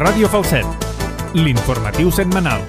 Ràdio Falset, l'informatiu setmanal.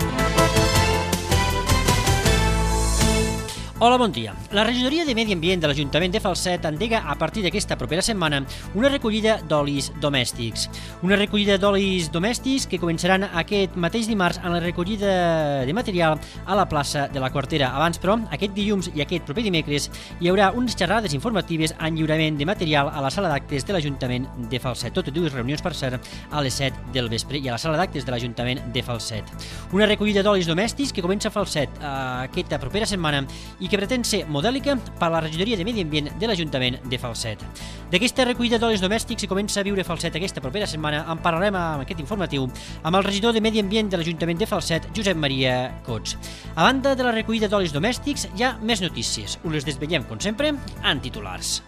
Hola, bon dia. La regidoria de Medi Ambient de l'Ajuntament de Falset endega a partir d'aquesta propera setmana una recollida d'olis domèstics. Una recollida d'olis domèstics que començaran aquest mateix dimarts en la recollida de material a la plaça de la Quartera. Abans, però, aquest dilluns i aquest proper dimecres hi haurà unes xerrades informatives en lliurament de material a la sala d'actes de l'Ajuntament de Falset. Totes dues reunions, per cert, a les 7 del vespre i a la sala d'actes de l'Ajuntament de Falset. Una recollida d'olis domèstics que comença a Falset aquesta propera setmana i que pretén ser modèlica per a la regidoria de Medi Ambient de l'Ajuntament de Falset. D'aquesta recollida d'olis domèstics que comença a viure Falset aquesta propera setmana en parlarem amb aquest informatiu amb el regidor de Medi Ambient de l'Ajuntament de Falset, Josep Maria Cots. A banda de la recollida d'olis domèstics, hi ha més notícies. Us les desvetllem, com sempre, en titulars.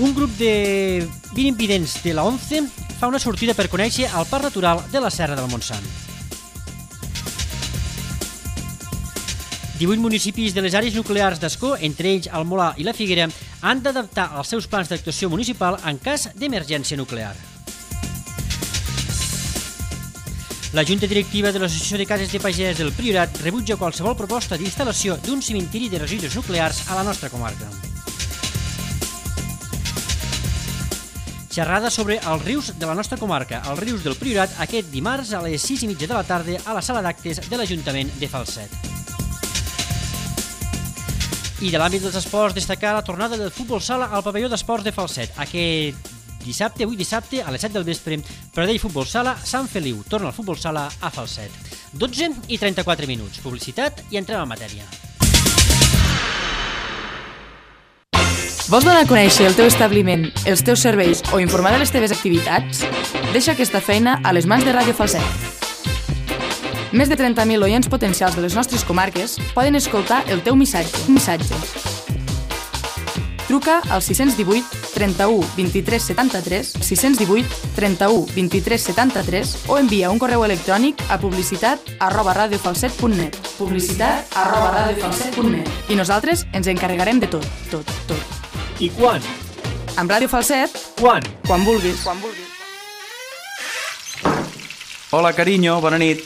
Un grup de 20 invidents de la ONCE fa una sortida per conèixer el Parc Natural de la Serra del Montsant. 18 municipis de les àrees nuclears d'Ascó, entre ells el Molar i la Figuera, han d'adaptar els seus plans d'actuació municipal en cas d'emergència nuclear. La Junta Directiva de l'Associació de Cases de Pagès del Priorat rebutja qualsevol proposta d'instal·lació d'un cimentiri de residus nuclears a la nostra comarca. Xerrada sobre els rius de la nostra comarca, els rius del Priorat, aquest dimarts a les 6:30 de la tarda a la sala d'actes de l'Ajuntament de Falset. I de l'àmbit dels esports, destacar la tornada del futbol sala al pavelló d'esports de Falset. Aquest dissabte, avui dissabte, a les 7 del vespre, Pradell Futbol Sala, Sant Feliu. Torna el futbol sala a Falset. 12:34. Publicitat i entrem en matèria. Vols donar a conèixer el teu establiment, els teus serveis o informar de les teves activitats? Deixa aquesta feina a les mans de Ràdio Falset. Més de 30.000 oients potencials de les nostres comarques poden escoltar el teu missatge. Truca al 618 31 23 73, 618 31 23 73 o envia un correu electrònic a publicitat@radiofalset.net publicitat@radiofalset.net i nosaltres ens encarregarem de tot. I quan? Amb Ràdio Falset, Quan? quan vulguis. Hola, carinyo, bona nit.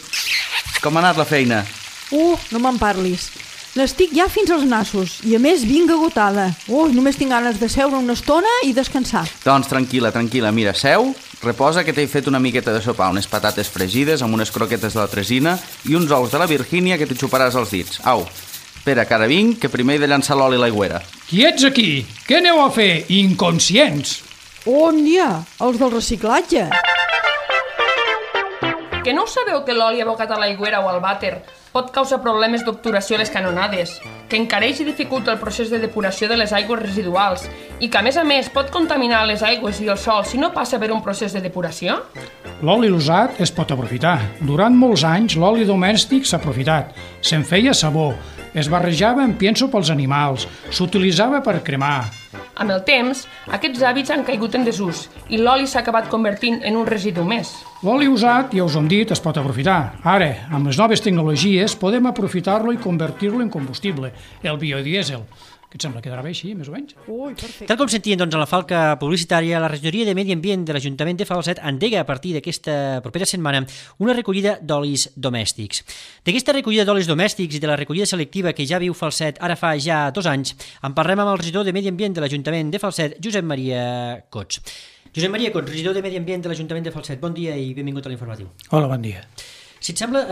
Com ha anat la feina? No me'n parlis. N'estic ja fins als nassos i a més vinc agotada. Només tinc ganes de seure una estona i descansar. Doncs tranquil·la, mira, seu, reposa que t'he fet una miqueta de sopar, unes patates fregides amb unes croquetes de la Tresina i uns ous de la Virgínia que t'hi xuparàs els dits. Au, espera, que ara vinc, que primer he de llançar l'oli a l'aigüera. Qui ets aquí? Què aneu a fer, inconscients? On hi ha? Els del reciclatge. Que no sabeu que l'oli abocat a l'aigüera o al vàter pot causar problemes d'obturació a les canonades, que encareix i dificulta el procés de depuració de les aigües residuals i que, a més, pot contaminar les aigües i el sòl si no passa per un procés de depuració? L'oli usat es pot aprofitar. Durant molts anys, l'oli domèstic s'ha aprofitat. Se'n feia sabó, es barrejava en pienso pels animals, s'utilitzava per cremar. Amb el temps, aquests hàbits han caigut en desús i l'oli s'ha acabat convertint en un residu més. L'oli usat, ja us ho hem dit, es pot aprofitar. Ara, amb les noves tecnologies, podem aprofitar-lo i convertir-lo en combustible, el biodièsel. Què et sembla? Quedarà bé així, més o menys? Perfecte. Tal com sentien en la falca publicitària, la regidoria de Medi Ambient de l'Ajuntament de Falset endega a partir d'aquesta propera setmana una recollida d'olis domèstics. D'aquesta recollida d'olis domèstics i de la recollida selectiva que ja viu Falset ara fa ja 2 anys, en parlem amb el regidor de Medi Ambient de l'Ajuntament de Falset, Josep Maria Cots. Josep Maria Cots, regidor de Medi Ambient de l'Ajuntament de Falset. Bon dia i benvingut a l'informatiu. Hola, bon dia. Si et sembla,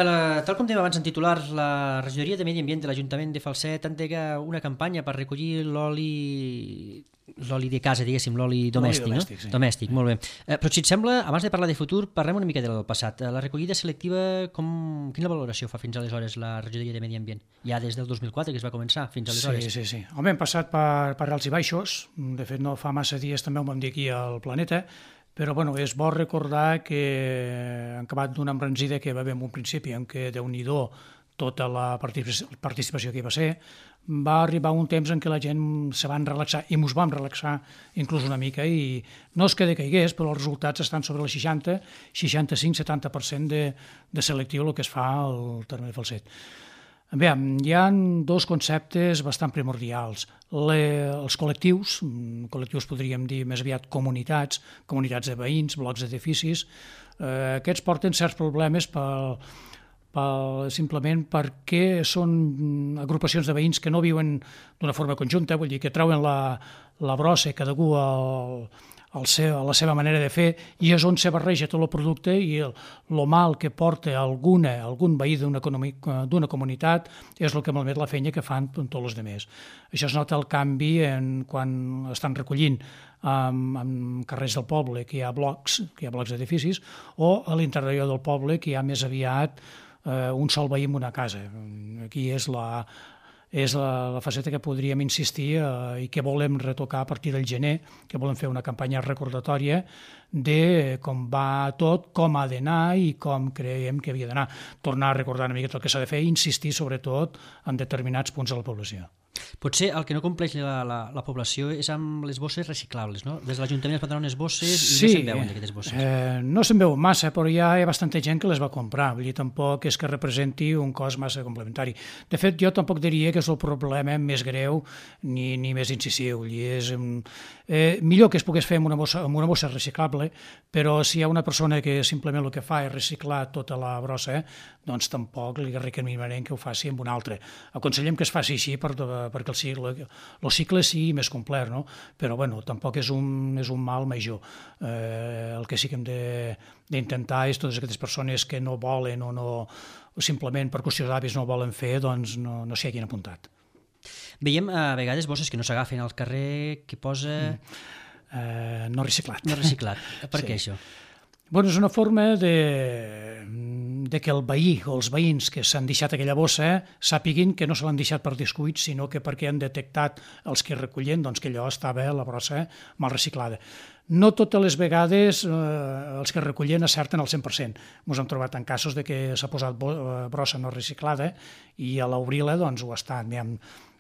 tal com dèiem abans en titulars, la regidoria de Medi Ambient de l'Ajuntament de Falset endega una campanya per recollir l'oli de casa, diguéssim, l'oli domèstic, no? Sí. Domèstic, molt bé. Però si et sembla, abans de parlar de futur, parlem una mica del passat. La recollida selectiva, quina valoració fa fins aleshores la regidoria de Medi Ambient? Ja des del 2004 que es va començar, fins aleshores. Sí. Home, hem passat per alts i baixos. De fet, no fa massa dies també ho vam dir aquí al Planeta, però és bo recordar que han acabat d'una embranzida que va haver en un principi en què, Déu-n'hi-do, tota la participació que hi va ser, va arribar un temps en què la gent se van relaxar, i ens vam relaxar inclús una mica, i no és que decaigués, però els resultats estan sobre el 60, 65-70% de selectiu el que es fa al terme de Falset. Bé, hi ha dos conceptes bastant primordials. Els col·lectius podríem dir més aviat comunitats de veïns, blocs d'edificis, aquests porten certs problemes simplement perquè són agrupacions de veïns que no viuen d'una forma conjunta, vull dir que treuen la brossa cadascú a la seva manera de fer, i és on se barreja tot el producte, i el mal que porta algun veí d'una comunitat és el que malmet la feina que fan tots els altres. Això es nota el canvi quan estan recollint en carrers del poble, que hi ha blocs d'edificis, o a l'interior del poble, que hi ha més aviat un sol veí en una casa. Aquí és la faceta que podríem insistir i que volem retocar a partir del gener, que volem fer una campanya recordatòria de com va tot, com ha d'anar i com creiem que havia d'anar. Tornar a recordar una mica tot el que s'ha de fer i insistir sobretot en determinats punts de la població. Potser el que no compleix la població és amb les bosses reciclables, no? Des de l'Ajuntament es prendran unes bosses i no se'n veuen d'aquestes bosses. No se'n veu massa, però hi ha bastanta gent que les va comprar, vull dir, tampoc és que representi un cost massa complementari. De fet, jo tampoc diria que és el problema més greu ni més incisiu. És millor que es pogués fer amb una bossa reciclable, però si hi ha una persona que simplement el que fa és reciclar tota la brossa, doncs tampoc li recomanarem que ho faci amb una altra. Aconsellem que es faci així perquè el cicle sigui més complet, no? Però bueno, tampoc és un mal major. El que sí que hem d'intentar és totes aquestes persones que no volen o simplement per qüestions d'hàbits no volen fer, doncs no s'hi hagin apuntat. Veiem a vegades bosses que no s'agafen al carrer, que posa... No reciclat. No reciclat. Per què això? Bueno, és una forma de que el veí o els veïns que s'han deixat aquella bossa sàpiguin que no se l'han deixat per descuit, sinó que perquè han detectat els que recullen doncs, que allò estava la brossa mal reciclada. No totes les vegades els que recullen acerten al 100%. Ens hem trobat en casos de que s'ha posat brossa no reciclada i a l'obrir-la doncs, ho ha estat.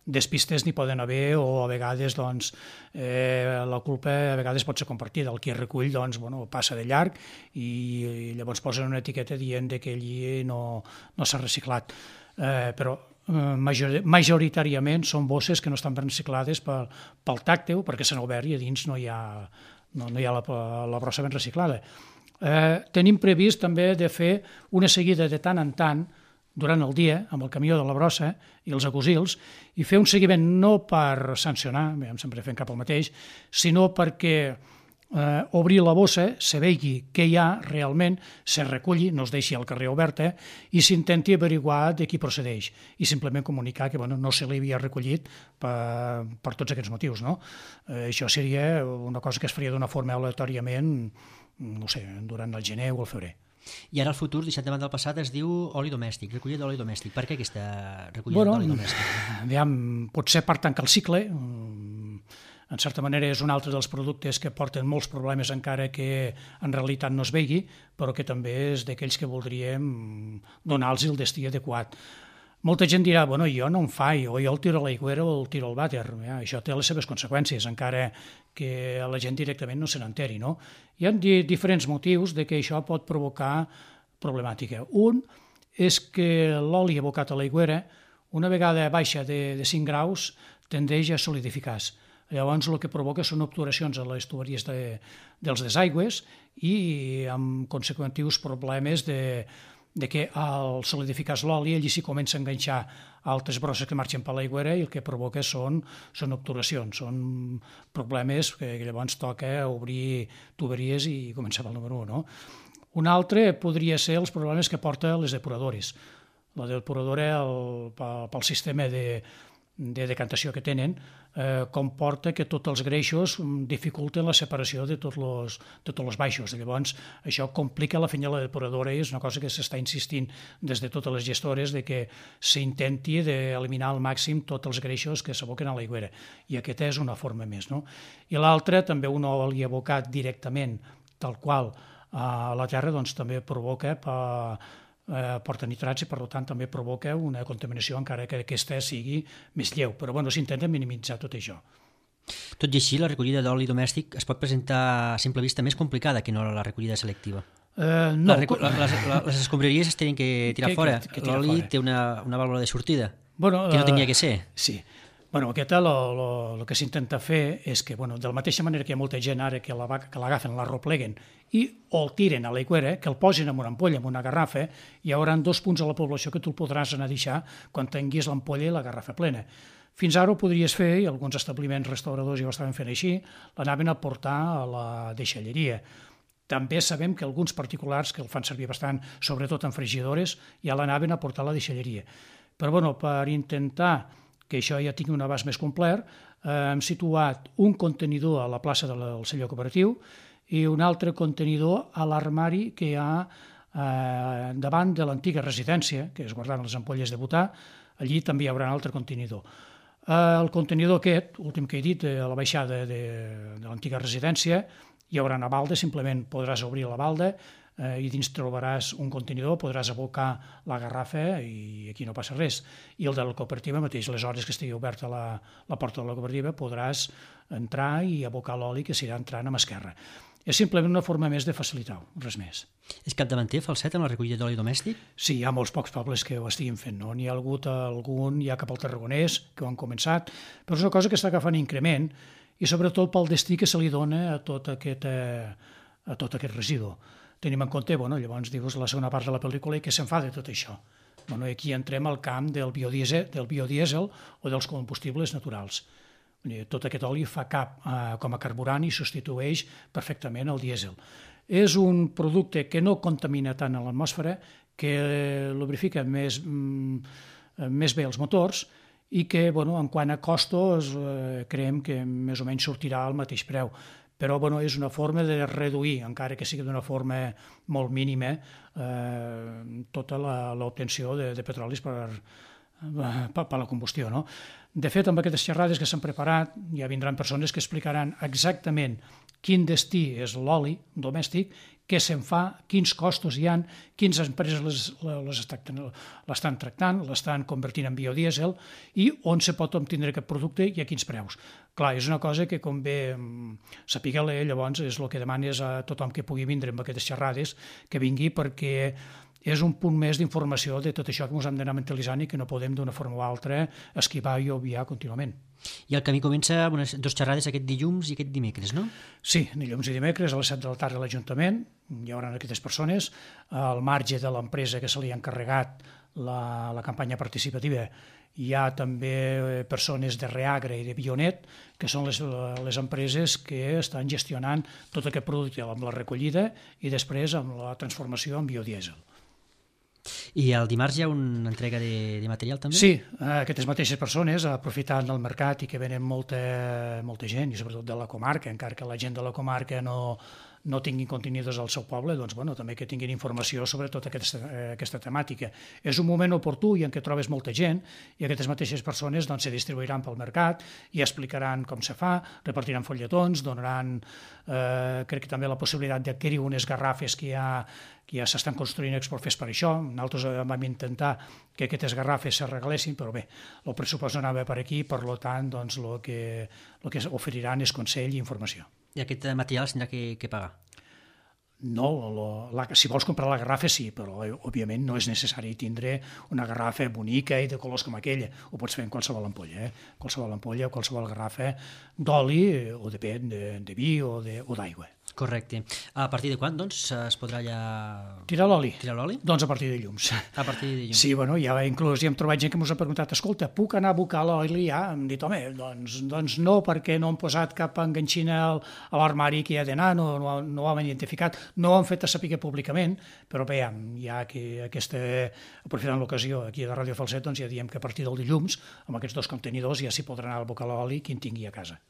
Despistes n'hi poden haver o a vegades doncs, la culpa a vegades pot ser compartida. El que recull doncs, passa de llarg i llavors posen una etiqueta dient que allí no s'ha reciclat. Però majoritàriament són bosses que no estan ben reciclades pel tacte o perquè s'han obert i a dins no hi ha la brossa ben reciclada. Tenim previst també de fer una seguida de tant en tant durant el dia, amb el camió de la brossa i els agosils, i fer un seguiment no per sancionar, sempre fem cap al mateix, sinó perquè obrir la bossa, se vegi què hi ha realment, se reculli, no es deixi al carrer oberta, i s'intenti averiguar de qui procedeix, i simplement comunicar que no se li havia recollit per tots aquests motius. No? Això seria una cosa que es faria d'una forma aleatòriament, no sé, durant el gener o el febrer. I ara el futur, deixat de banda del passat, es diu oli domèstic, recollida d'oli domèstic. Per què aquesta recollida d'oli domèstic? Potser per tancar el cicle, en certa manera és un altre dels productes que porten molts problemes encara que en realitat no es vegi, però que també és d'aquells que voldríem donar-los el destí adequat. Molta gent dirà, jo no em faig, o jo el tiro a l'aigüera o el tiro al vàter. Això té les seves conseqüències, encara que la gent directament no se n'enteri. No? Hi ha diferents motius de que això pot provocar problemàtica. Un és que l'oli abocat a l'aigüera, una vegada baixa de 5 graus, tendeix a solidificar-se. Llavors el que provoca són obturacions a les tuberies dels desaigües i amb conseqüentius problemes de que al solidificar-se l'oli allí s'hi comença a enganxar altres brosses que marxen per l'aigüera i el que provoca són obturacions, són problemes que llavors toca obrir tuberies i començar pel número 1. No? Un altre podria ser els problemes que porta les depuradores. La depuradora, pel sistema de decantació que tenen, comporta que tots els greixos dificulten la separació de tots els baixos. Llavors, això complica la feina de la depuradora i és una cosa que s'està insistint des de totes les gestores de que s'intenti d'eliminar al màxim tots els greixos que s'aboquen a l'aigüera. I aquesta és una forma més. No? I l'altra, també un oli abocat directament, tal qual, a la terra, doncs també provoca porta nitrats i per tant també provoca una contaminació encara que aquesta sigui més lleu, però s'intenta minimitzar tot això. Tot i així, la recollida d'oli domèstic es pot presentar a simple vista més complicada que no la recollida selectiva. No. Les escombraries es tenen que tirar fora. L'oli té una vàlvula de sortida, que no tenia que ser. Sí. Aquest el que s'intenta fer és que, de la mateixa manera que hi ha molta gent ara que l'agafen, l'arropleguen i o el tiren a l'aigüera, que el posin en una ampolla, en una garrafa, hi haurà 2 punts a la població que tu el podràs anar a deixar quan tinguis l'ampolla i la garrafa plena. Fins ara ho podries fer, i alguns establiments restauradors ja ho estaven fent així, l'anaven a portar a la deixalleria. També sabem que alguns particulars, que el fan servir bastant, sobretot en frigidores, ja l'anaven a portar a la deixalleria. Però per intentar que això ja tingui un abast més complet, hem situat un contenidor a la plaça del celler cooperatiu i un altre contenidor a l'armari que hi ha davant de l'antiga residència, que es guardaven les ampolles de butà. Allí també hi haurà un altre contenidor. El contenidor aquest, últim que he dit, a la baixada de l'antiga residència, hi haurà una balda, simplement podràs obrir la balda i dins trobaràs un contenidor, podràs abocar la garrafa i aquí no passa res. I el de la cooperativa mateix, les hores que estigui oberta la porta de la cooperativa, podràs entrar i abocar l'oli que s'irà entrant a mà esquerra. És simplement una forma més de facilitar-ho, res més. És capdavanter Falset en la recollida d'oli domèstic? Sí, hi ha molts pocs pobles que ho estiguin fent, no? N'hi ha hagut algun, ja cap al Tarragonès, que ho han començat, però és una cosa que està agafant increment i sobretot pel destí que se li dona a tot aquest residu. Tenim en compte, llavors dius la segona part de la pel·lícula i què se'n fa de tot això. Aquí entrem al camp del biodièsel o dels combustibles naturals. Tot aquest oli fa cap com a carburant i substitueix perfectament el dièsel. És un producte que no contamina tant a l'atmosfera, que lubrifica més bé els motors i que, en quant a costos, creiem que més o menys sortirà al mateix preu. Però és una forma de reduir, encara que sigui d'una forma molt mínima, tota l'obtenció de petrolis per la combustió. De fet, amb aquestes xerrades que s'han preparat, ja vindran persones que explicaran exactament quin destí és l'oli domèstic, què se'n fa, quins costos hi ha, quines empreses l'estan tractant, l'estan convertint en biodièsel i on se pot obtenir aquest producte i a quins preus. Clar, és una cosa que convé saber-la, llavors és el que demanes a tothom que pugui vindre amb aquestes xerrades, que vingui perquè és un punt més d'informació de tot això que ens hem d'anar mentalitzant i que no podem d'una forma o altra esquivar i obviar contínuament. I el camí comença amb 2 xerrades aquest dilluns i aquest dimecres, no? Sí, dilluns i dimecres a les 7 de la tarda a l'Ajuntament hi haurà aquestes persones, al marge de l'empresa que se li ha encarregat la campanya participativa. Hi ha també persones de Reagra i de Bionet, que són les empreses que estan gestionant tot aquest producte amb la recollida i després amb la transformació en biodièsel. I el dimarts hi ha una entrega de material també? Sí, aquestes mateixes persones, aprofitant del mercat i que venen molta gent, i sobretot de la comarca, encara que la gent de la comarca no tinguin contenidors al seu poble, doncs també que tinguin informació sobre tota aquesta temàtica. És un moment oportú i en què trobes molta gent i aquestes mateixes persones se distribuiran pel mercat i explicaran com se fa, repartiran folletons, donaran, crec que també la possibilitat d'adquirir unes garrafes que ja s'estan construint exprofes per això. Nosaltres vam intentar que aquestes garrafes se regalessin, però bé, el pressupost no anava per aquí, per tant, el que oferiran és consell i informació. I aquest material s'haurà que pagar? No, si vols comprar la garrafa sí, però òbviament no és necessari tindre una garrafa bonica i de colors com aquella. Ho pots fer en qualsevol ampolla, qualsevol ampolla o qualsevol garrafa d'oli o depèn de vi o d'aigua. Correcte. A partir de quan, doncs, es podrà ja... Tirar l'oli? Tirar l'oli? Doncs a partir de dilluns. A partir de dilluns. Sí, ja inclús hi hem trobat gent que ens ha preguntat, escolta, puc anar a abocar l'oli ja? Hem dit, home, doncs no, perquè no hem posat cap enganxina a l'armari que hi ha d'anar, no ho hem identificat, no ho hem fet a saber públicament, però bé, ja que aprofitant l'ocasió aquí de Ràdio Falset, doncs ja diem que a partir del dilluns, amb aquests 2 contenidors, ja s'hi podrà anar a abocar l'oli qui en tingui a casa.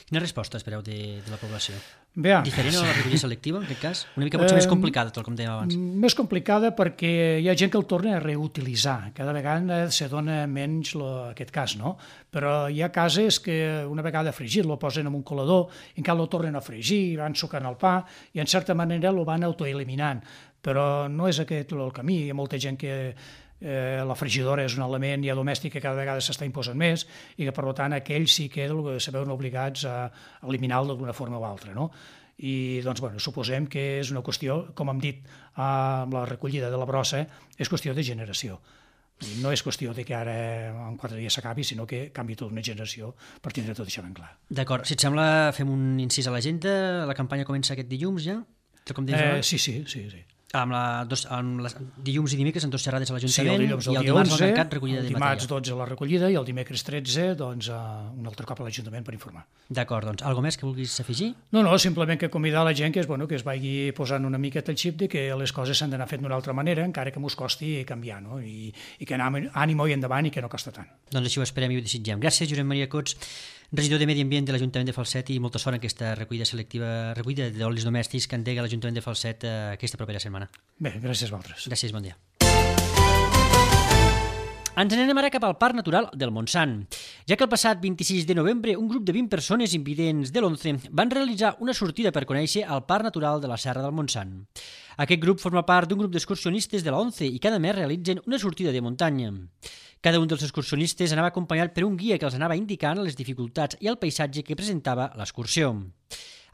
Quina resposta espereu de la població? Bé, diferent a la recollida selectiva, en aquest cas? Una mica potser més complicada, tal com dèiem abans. Més complicada perquè hi ha gent que el torna a reutilitzar. Cada vegada se dona menys aquest cas, no? Però hi ha cases que una vegada fregit lo posen en un colador, encara lo tornen a fregir, van sucant el pa i en certa manera lo van autoeliminant. Però no és aquest el camí. Hi ha molta gent que la fregidora és un element ja domèstic que cada vegada s'està imposant més i que per tant aquells sí que se veuen obligats a eliminar-lo d'una forma o altra, no? I doncs, suposem que és una qüestió, com hem dit amb la recollida de la brossa, és qüestió de generació. No és qüestió de que ara en 4 dies s'acabi, sinó que canvi tota una generació per tindre tot això ben clar. D'acord, si et sembla, fem un incís a l'agenda. La campanya comença aquest dilluns ja? Sí. Amb dilluns i dimecres en 2 xerrades a l'Ajuntament, el i el dimarts al mercat recollida de material. Dimarts 12 la recollida i el dimecres 13 doncs, un altre cop a l'Ajuntament per informar. D'acord, doncs, alguna més que vulguis afegir? No, simplement que convidar la gent que es vagi posant una miqueta el xip de que les coses s'han d'anar fent d'una altra manera, encara que mos costi canviar, no? I que anem ànimo i endavant i que no costa tant. Doncs així ho esperem i ho desitgem. Gràcies, Josep Maria Cots, regidor de Medi Ambient de l'Ajuntament de Falset, i molta sort en aquesta recollida d'olis domèstics que endega l'Ajuntament de Falset aquesta propera setmana. Bé, gràcies a vosaltres. Gràcies, bon dia. Ens n'anem ara cap al Parc Natural del Montsant, ja que el passat 26 de novembre un grup de 20 persones invidents de l'11 van realitzar una sortida per conèixer el Parc Natural de la Serra del Montsant. Aquest grup forma part d'un grup d'excursionistes de la 11 i cada mes realitzen una sortida de muntanya. Cada un dels excursionistes anava acompanyat per un guia que els anava indicant les dificultats i el paisatge que presentava l'excursió.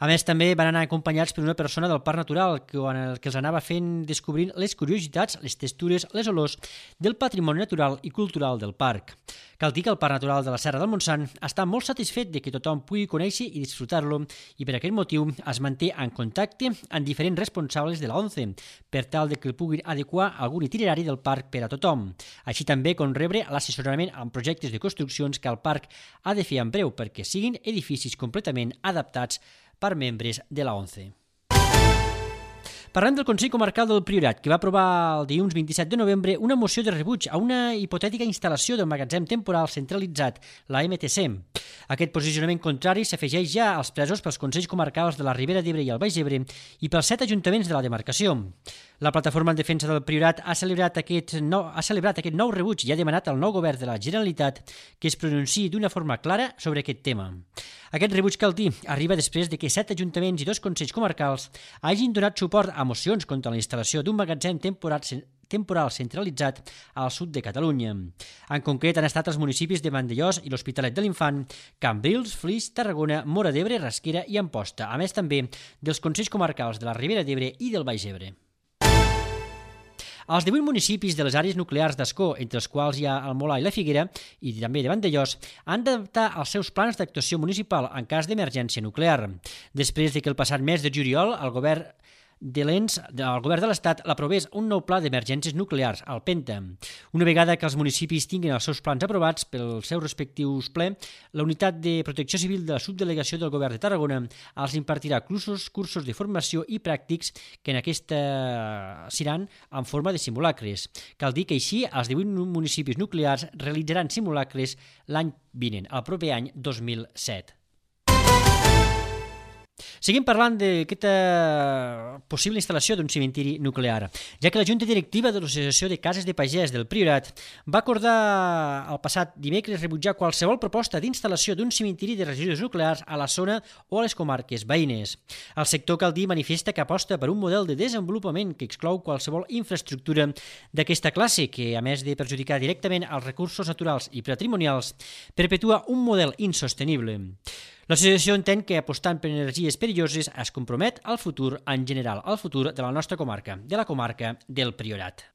A més, també van anar acompanyats per una persona del Parc Natural que els anava fent descobrint les curiositats, les textures, les olors del patrimoni natural i cultural del parc. Cal dir que el Parc Natural de la Serra del Montsant està molt satisfet de que tothom pugui conèixer i disfrutar-lo, i per aquest motiu es manté en contacte amb diferents responsables de la 11 per tal de que puguin adequar algun itinerari del parc per a tothom, així també com rebre l'assessorament en projectes de construccions que el parc ha de fer en breu perquè siguin edificis completament adaptats per membres de la 11. Parlem del Consell Comarcal del Priorat, que va aprovar el dilluns 27 de novembre una moció de rebuig a una hipotètica instal·lació del magatzem temporal centralitzat, la MTC. Aquest posicionament contrari s'afegeix ja als presos pels Consells Comarcals de la Ribera d'Ebre i el Baix Ebre i pels 7 ajuntaments de la demarcació. La Plataforma en Defensa del Priorat ha celebrat aquest nou rebuig i ha demanat al nou govern de la Generalitat que es pronunciï d'una forma clara sobre aquest tema. Aquest rebuig, cal dir, arriba després de que 7 ajuntaments i 2 consells comarcals hagin donat suport a mocions contra la instal·lació d'un magatzem temporal centralitzat al sud de Catalunya. En concret han estat els municipis de Vandellòs i l'Hospitalet de l'Infant, Cambrils, Flix, Tarragona, Móra d'Ebre, Rasquera i Amposta, a més també dels consells comarcals de la Ribera d'Ebre i del Baix Ebre. Els 18 municipis de les àrees nuclears d'Ascó, entre els quals hi ha el Molar i la Figuera, i també de Vandellòs, han d'adaptar els seus plans d'actuació municipal en cas d'emergència nuclear. Després de que el passat mes de juliol el govern de l'Estat l'aprovés un nou pla d'emergències nuclears, el PENTA. Una vegada que els municipis tinguin els seus plans aprovats pels seus respectius ple, la Unitat de Protecció Civil de la Subdelegació del Govern de Tarragona els impartirà cursos de formació i pràctics que en aquesta seran en forma de simulacres. Cal dir que així els 18 municipis nuclears realitzaran simulacres l'any vinent, el proper any 2007. Seguim parlant d'aquesta possible instal·lació d'un cementiri nuclear, ja que la Junta Directiva de l'Associació de Cases de Pagès del Priorat va acordar el passat dimecres rebutjar qualsevol proposta d'instal·lació d'un cementiri de residus nuclears a la zona o a les comarques veïnes. El sector, cal dir, manifesta que aposta per un model de desenvolupament que exclou qualsevol infraestructura d'aquesta classe que, a més de perjudicar directament els recursos naturals i patrimonials, perpetua un model insostenible. L'associació entén que apostant per energies perilloses es compromet al futur en general, al futur de la nostra comarca, de la comarca del Priorat.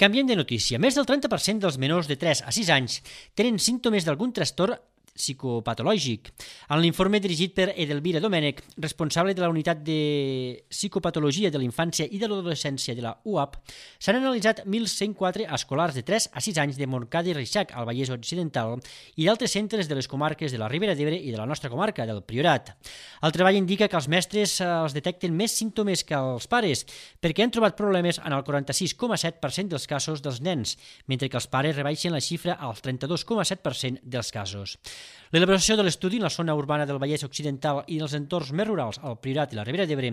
Canviem de notícia. Més del 30% dels menors de 3 a 6 anys tenen símptomes d'algun trastorn psicopatològic. En l'informe dirigit per Edelvira Domènech, responsable de la unitat de psicopatologia de la infància i de l'adolescència de la UAP, s'han analitzat 1.104 escolars de 3 a 6 anys de Montcada i Reixac, al Vallès Occidental, i d'altres centres de les comarques de la Ribera d'Ebre i de la nostra comarca, del Priorat. El treball indica que els mestres els detecten més símptomes que els pares, perquè han trobat problemes en el 46,7% dels casos dels nens, mentre que els pares rebaixen la xifra al 32,7% dels casos. L'elaboració de l'estudi en la zona urbana del Vallès Occidental i en els entorns més rurals, al Priorat i la Ribera d'Ebre,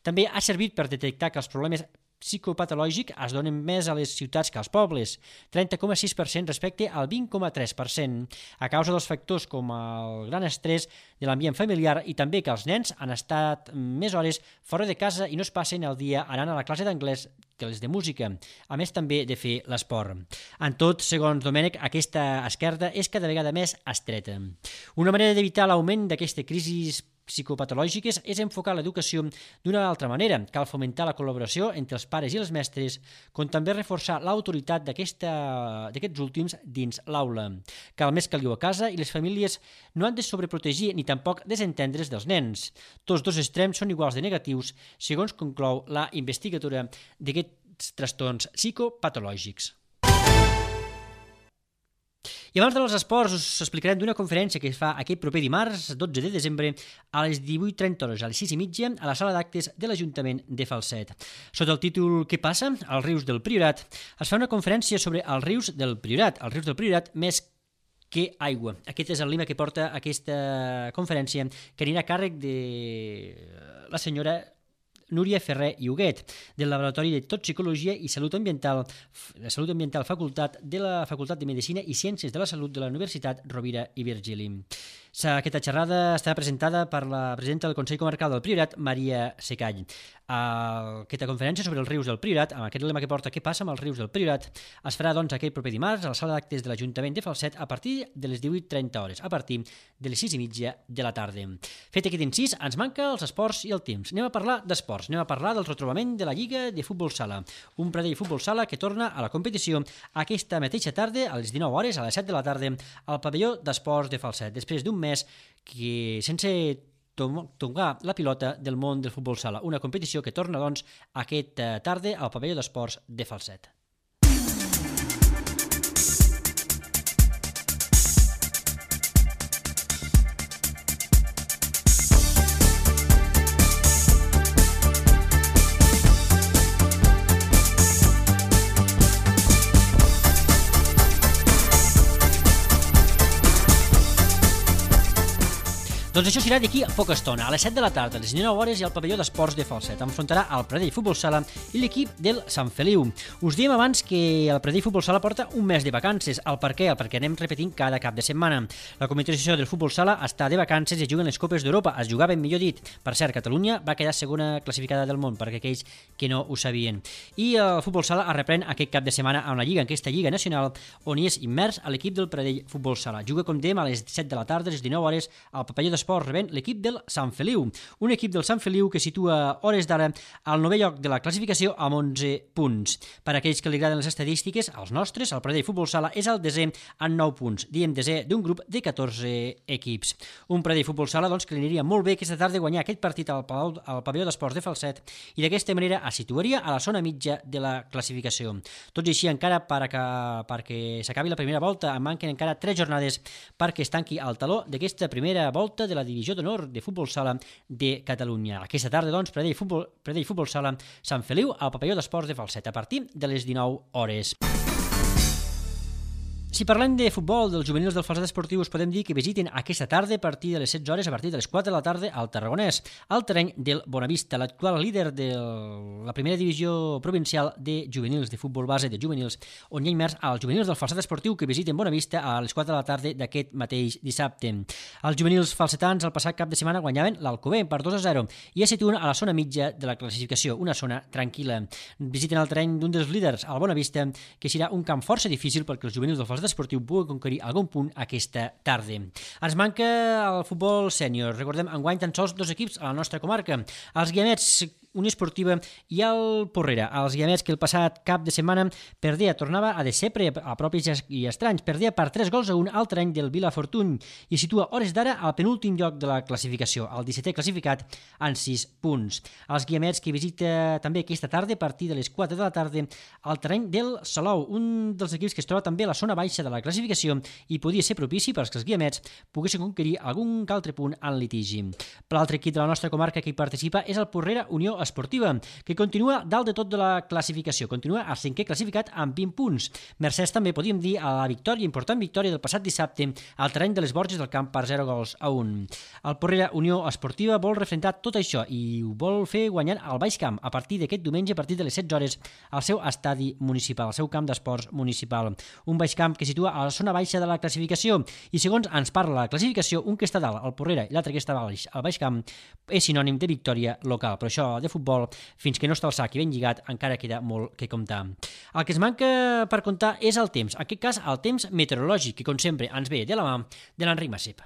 també ha servit per detectar que els problemes psicopatològic es donen més a les ciutats que als pobles, 30,6% respecte al 20,3%, a causa dels factors com el gran estrès de l'ambient familiar i també que els nens han estat més hores fora de casa i no es passen el dia anant a la classe d'anglès que les de música, a més també de fer l'esport. En tot, segons Domènech, aquesta esquerda és cada vegada més estreta. Una manera d'evitar l'augment d'aquesta crisi psicopatològiques és enfocar l'educació d'una altra manera. Cal fomentar la col·laboració entre els pares i els mestres, com també reforçar l'autoritat d'aquests últims dins l'aula. Cal més caliu a casa i les famílies no han de sobreprotegir ni tampoc desentendre's dels nens. Tots dos extrems són iguals de negatius, segons conclou la investigadora d'aquests trastorns psicopatològics. I abans dels esports us explicarem d'una conferència que es fa aquest proper dimarts, 12 de desembre, a les 18:30 a les 6:30, a la sala d'actes de l'Ajuntament de Falset. Sota el títol Què passa? als rius del Priorat, es fa una conferència sobre els rius del Priorat, més que aigua. Aquest és el lema que porta aquesta conferència, que anirà a càrrec de la senyora Núria Ferrer i Huguet, del Laboratori de Toxicologia i Salut Ambiental, facultat de la Facultat de Medicina i Ciències de la Salut de la Universitat Rovira i Virgili. Aquesta xerrada està presentada per la presidenta del Consell Comarcal del Priorat, Maria Secall. Aquesta conferència sobre els rius del Priorat, amb aquest lema que porta Què passa amb els rius del Priorat, es farà doncs aquest proper dimarts a la sala d'actes de l'Ajuntament de Falset a partir de les 18:30, a partir de les 6:30 de la tarda. Fet aquest incís, ens manca els esports i el temps. Anem a parlar d'esports, anem a parlar del retrobament de la Lliga de Futbol Sala, un Pradell Futbol Sala que torna a la competició aquesta mateixa tarda, a les 19 a les 7 de la tarda, al pavelló d'esports de Falset, després d'un mes que sense tocar la pilota del món del futbol sala, una competició que torna doncs aquesta tarda al pavelló d'esports de Falset. Doncs això serà d'aquí a poca estona, a les 7 de la tarda, a les 19 i al pavelló d'esports de Falset. Enfrontarà el Pradell Futbol Sala i l'equip del Sant Feliu. Us diem abans que el Pradell Futbol Sala porta un mes de vacances. El per què? Perquè anem repetint cada cap de setmana. La competició del Futbol Sala està de vacances i juguen les Copes d'Europa. Es jugaven, millor dit. Per cert, Catalunya va quedar segona classificada del món, perquè aquells que no ho sabien. I el Futbol Sala es reprèn aquest cap de setmana amb la Lliga, en aquesta Lliga Nacional, on hi és immers a l'equip del Pradell Futbol Sala. Juga, com dèiem, a les 7 de la tarda, a les 19 al pavelló d'esports rebent l'equip del Sant Feliu. Un equip del Sant Feliu que situa a hores d'ara al 9è lloc de la classificació amb 11 punts. Per a aquells que li agraden les estadístiques, els nostres, el Pradell Futbol Sala és el desè amb 9 punts. Diem desè d'un grup de 14 equips. Un Pradell Futbol Sala doncs, que li aniria molt bé aquesta tarda guanyar aquest partit al pavelló d'esports de Falset i d'aquesta manera es situaria a la zona mitja de la classificació. Tot i així, encara perquè s'acabi la primera volta, en manquen encara 3 jornades perquè es tanqui el taló d'aquesta primera volta de la divisió d'honor de Futbol Sala de Catalunya. Aquesta tarda, doncs, Pradell Futbol Sala Sant Feliu al pavelló d'esports de Falset a partir de les 19 . Si parlem de futbol dels juvenils del Falset Esportiu, us podem dir que visiten aquesta tarda a partir de les 16 a partir de les 4 de la tarda al Tarragonès, al terreny del Bonavista, l'actual líder de la primera divisió provincial de juvenils, de futbol base de juvenils, on hi ha immers els juvenils del Falset Esportiu que visiten Bonavista a les 4 de la tarda d'aquest mateix dissabte. Els juvenils falsetans el passat cap de setmana guanyaven l'Alcover per 2-0 i es situen a la zona mitja de la classificació, una zona tranquil·la. Visiten el terreny d'un dels líders, el Bonavista, que serà un camp força difícil perquè els juvenils del Falset Esportiu pugui conquerir algun punt aquesta tarda. Ens manca el futbol sènior. Recordem, enguany tan sols 2 equips a la nostra comarca. Els Guiamets, Unió Esportiva i el Porrera. Els Guiamets que el passat cap de setmana tornava a decebre a propis i estranys. Perdia per 3-1 al terreny del Vilafortuny i situa hores d'ara al penúltim lloc de la classificació, el 17è classificat en 6 punts. Els Guiamets que visita també aquesta tarda a partir de les 4 de la tarda al terreny del Salou, un dels equips que es troba també a la zona baixa de la classificació i podia ser propici perquè els Guiamets poguessin conquerir algun altre punt en litigi. Per l'altre equip de la nostra comarca que hi participa és el Porrera Unió Esportiva, que continua dalt de tot de la classificació. Continua al 5è classificat amb 20 punts. Mercès també, podríem dir, a la victòria, important victòria del passat dissabte al terreny de les Borges del Camp per 0-1. El Porrera Unió Esportiva vol refrentar tot això i ho vol fer guanyant al Baix Camp a partir d'aquest diumenge, a partir de les 16 hores, al seu estadi municipal, al seu camp d'esports municipal. Un Baix Camp que situa a la zona baixa de la classificació i, segons ens parla la classificació, un que està dalt, el Porrera, i l'altre que està baix, el Baix Camp, és sinònim de victòria local. Però això de futbol, fins que no està al sac i ben lligat, encara queda molt que comptar. El que es manca per comptar és el temps, en aquest cas el temps meteorològic, que com sempre ens ve de la mà de l'Enric Massip.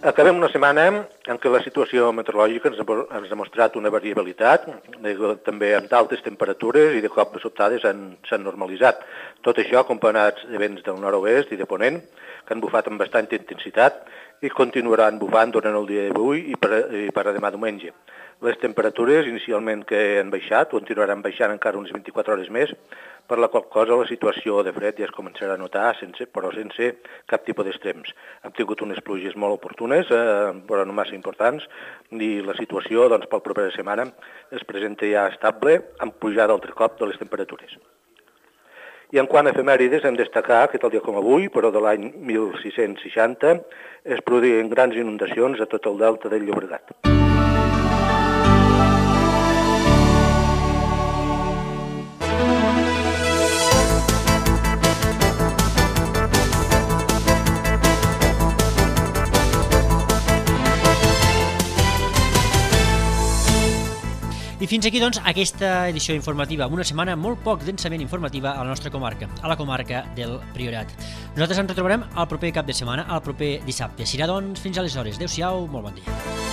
Acabem una setmana en què la situació meteorològica ens ha mostrat una variabilitat, també amb d'altes temperatures i de cop de sobtades s'han normalitzat. Tot això acompanyats de vents del nord-oest i de ponent, que han bufat amb bastanta intensitat i continuaran bufant durant el dia d'avui i per a demà diumenge. Les temperatures inicialment que han baixat continuaran baixant encara unes 24 hores més, per la qual cosa la situació de fred ja es començarà a notar, però sense cap tipus d'extrems. Hem tingut unes pluges molt oportunes, però no massa importants, i la situació doncs, per la propera setmana es presenta ja estable, amb pujada altre cop de les temperatures. I en quant a efemèrides, hem de destacar que tal dia com avui, però de l'any 1660, es produïen grans inundacions a tot el delta del Llobregat. I fins aquí, doncs, aquesta edició informativa, amb una setmana molt poc densament informativa a la nostra comarca, a la comarca del Priorat. Nosaltres ens retrobarem el proper cap de setmana, el proper dissabte. Serà, doncs, fins aleshores. Adéu-siau, molt bon dia.